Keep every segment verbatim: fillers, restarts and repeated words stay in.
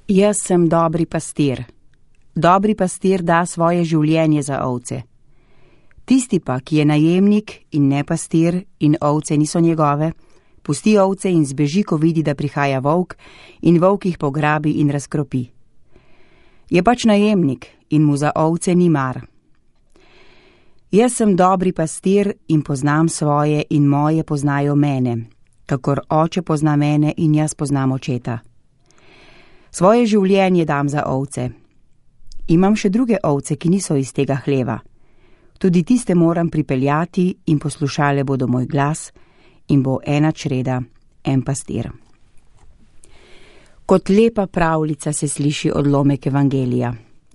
Jaz sem dobri pastir. Dobri pastir da svoje življenje za ovce. Tisti pa, ki je najemnik in ne pastir in ovce niso njegove, pusti ovce in zbeži, ko vidi, da prihaja volk, in volk jih pograbi in razkropi. Je pač najemnik in mu za ovce ni mar. Jaz sem dobri pastir in poznam svoje in moje poznajo mene, kakor oče pozna mene in jaz poznam očeta. Svoje življenje dam za ovce. Imam še druge ovce, ki niso iz tega hleva. Tudi tiste moram pripeljati in poslušale bodo moj glas in bo ena čreda, en pastir. Kot lepa pravljica se sliši odlomek evangelija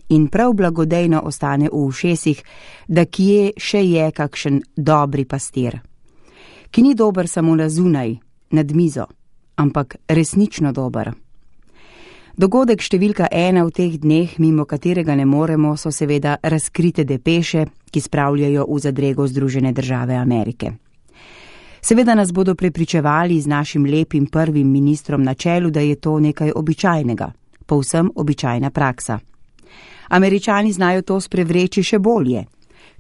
in prav blagodejno ostane v ušesih, da kje še je kakšen dobri pastir, ki ni dober samo na zunaj, nad mizo, ampak resnično dober. Dogodek številka ena v teh dneh, mimo katerega ne moremo, so seveda razkrite depeše, ki spravljajo v zadrego Združene države Amerike. Seveda nas bodo prepričevali z našim lepim prvim ministrom na čelu, da je to nekaj običajnega, povsem običajna praksa. Američani znajo to sprevreči še bolje.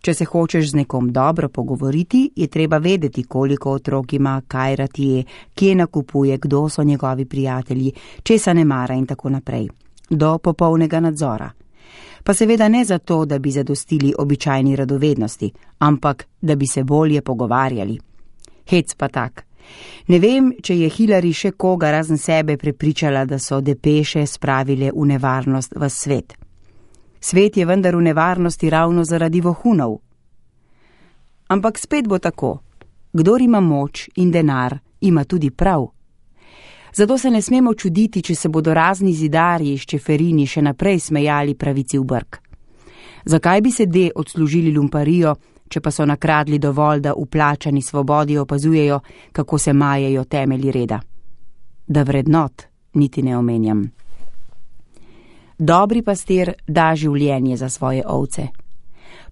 Če se hočeš z nekom dobro pogovoriti, je treba vedeti, koliko otrok ima, kaj rad je, kje nakupuje, kdo so njegovi prijatelji, česa ne mara in tako naprej. Do popolnega nadzora. Pa seveda ne zato, da bi zadostili običajni radovednosti, ampak da bi se bolje pogovarjali. Hec pa tak. Ne vem, če je Hillary še koga razen sebe prepričala, da so depeše spravile v nevarnost v svet. Svet je vendar v nevarnosti ravno zaradi vohunov. Ampak spet bo tako. Kdor ima moč in denar, ima tudi prav. Zato se ne smemo čuditi, če se bodo razni zidarji iz Čeferini še naprej smejali pravici v brk. Zakaj bi se de odslužili lumparijo, če pa so nakradli dovolj, da v plačani svobodi opazujejo, kako se majejo temelji reda? Da vrednot niti ne omenjam. Dobri pastir da življenje za svoje ovce.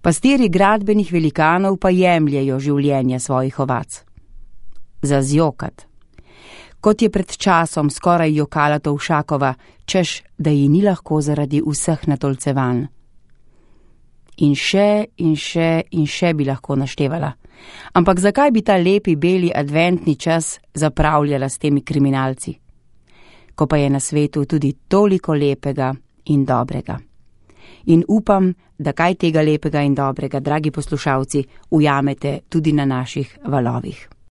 Pastirji gradbenih velikanov pa jemljejo življenje svojih ovac. Za zjokat. Kot je pred časom skoraj jokala Tovšakova, češ, da ji ni lahko zaradi vseh natolcevanj. In še in še in še bi lahko naštevala. Ampak zakaj bi ta lepi beli adventni čas zapravljala s temi kriminalci? Ko pa je na svetu tudi toliko lepega in dobrega. In upam, da kaj tega lepega in dobrega, dragi poslušalci, ujamete tudi na naših valovih.